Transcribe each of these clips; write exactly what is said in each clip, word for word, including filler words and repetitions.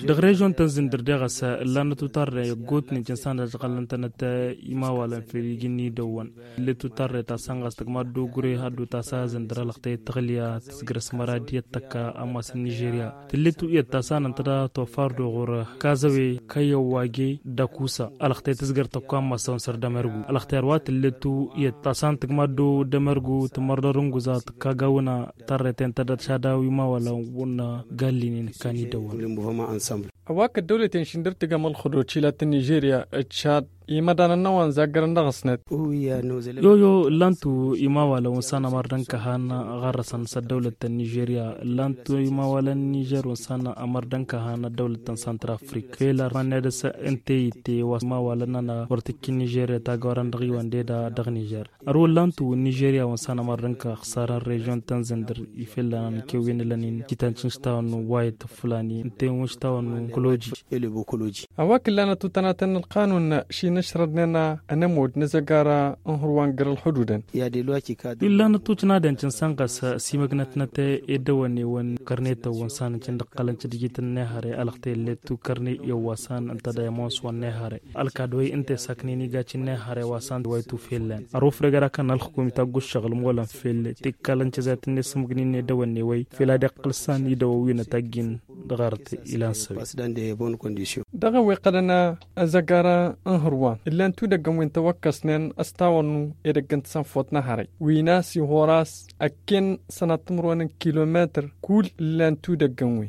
Dăɣ-režion ta n-zǝndǝr deɣ a-s ǝllanăt utarre ăggootnen cǝnsan d-ažɣălăn-tănăt imawalăn fel iji n-idăwwăn. Tǝllet utarre ta s-ănɣas tǝgma dd-ogre haddu ta s-azǝndăr alăɣtăy tăɣlǝya tǝzgăr s-mărad iyyăt tăkka ammas n-nižerya. Tǝllet u-iyyăt ta s-anăn tăda tofar d-oɣur kazăwe kăyăwwage d-akusa alăɣtăy tǝzgăr tăkka ammas-awăn săr d-emărgu alăɣtăy ărwa tǝllet u-iyyăt ta s-anăn tǝgma dd-emărgu tǝmărdăr n-guza tǝkka gawǝna. Tarreten tădăt šadaw imawalăn wǝnna gallinen kani dăwwăn. Ăwak ăddăwlăten šindăr tǝgăm ălxuduci latăn nižerya d-šad imădanăn n-a-wa n-zaggărăn dăɣ-s net. Yoyo ǝllan-tu imawalăn wǝnsan ămăr d-ănkăhan ɣarrăsăn s-ăddăwlăt ta n-nižerya ǝllan-tu imawalăn n-nižer wǝnsan ămăr d-ănkăhan ăddăwlăt ta n-santral afrik fel ărman nedăs ǝnta i-itte wa s-imawalăn-nănăɣ wăr tǝkkin nižerya tagawran dăɣ-iwăn deda dăɣ-nižer. Ărwăllan-tu n-nižerya wǝnsan ămăr d-ănkăɣ ăxsarăn režion ta n-zǝndǝr ifellănăn kewwen ǝlănen jităn-t n-aštawăn n-wayăt fǝlani ǝnta-en wǝnš tawăn n-koloji. Ăwak ǝllanăt utănatăn n-ălqanun šinăšrădnen anămud n-azăgara n-hărwa n-găr-ălxududăn. Wi ǝllanăt tučnaden cǝnsan ɣas simăgnătnăt edăwănewăn kărnetăn wǝnsan n-cǝndăqqălăn cǝdjit n-nehăre alăɣtăy ǝllet tukărne i-ăwwasan ǝnta d-ayămons wa n-nehăre. Ălkad-wi ǝnta i-saknen igaci n-nehăre wa s-ant wa itufellăn ăruf regăra kăn ălxukum itaggu ǝššăɣǝl molăn fel tikkalăn cezayăt n-esǝmǝgnin edăwănne-wăy fel ad-iqqǝl s-an idăwăwinăt aggin. Dăɣ-arăt ilan săwi. Dăɣ-eweqqălăn azăgara n-hărwa ǝllan tudăggăn wi n-tawăkkăsnen ăstawănnu edăgg n-tasănfot n-ehăre wi n-a-s ihor a-s ăkken sănat timǝrwen n-kilometăr. Kull ǝllan tudăggăn wi.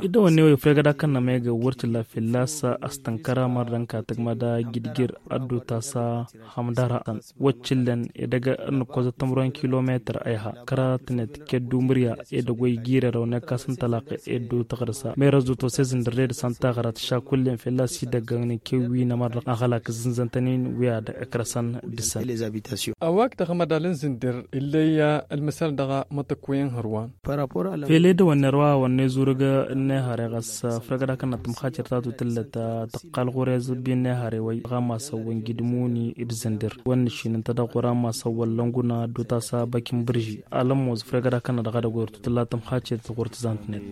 Idăwănne-wăy ăfregăd akănnămegăn wăr t-illa fălla-s ăstănkăr amăr d-ănka tǝgmăd agidgir ăddutas a hămdăra. Wăt t-illăn edăgg n-ǝkkozăt timǝrwen kilometăr ăyha kăratnet ked-umǝrya edăgg wa ijirerăw n-ekkas n-tălaqe eddu tăɣrǝsa merăzut osezǝn dăr-ed s-ăntaɣrăt šakullen fălla-s idăggăn n-kewwi n-amăr n-aɣălak ǝzzǝnzăn-tăn-in wi ad-ǝkrăsăn. Dăr-săn. Ăwak dăɣ-amădal n-zǝndǝr illăy ălmăsal dăɣ-mătăkkuy n-hărwan. Fel edăwănner wa wănne zurǝg n-ehăre ɣas făr gădakăn n-tǝmxacăr ta tutǝllăt tăqqal ɣur-ezǝbbi n-ehăre wăy ɣamasăwăn gidmuni d-zǝndǝr wănne šinǝntădăɣ ɣur-amasăwăn lănguna dutasa băkin bǝrži alămmoz făr gădakăn n-dăɣ-edăgg wăr tutǝlla tǝmxacăr ɣur-tǝzant-net.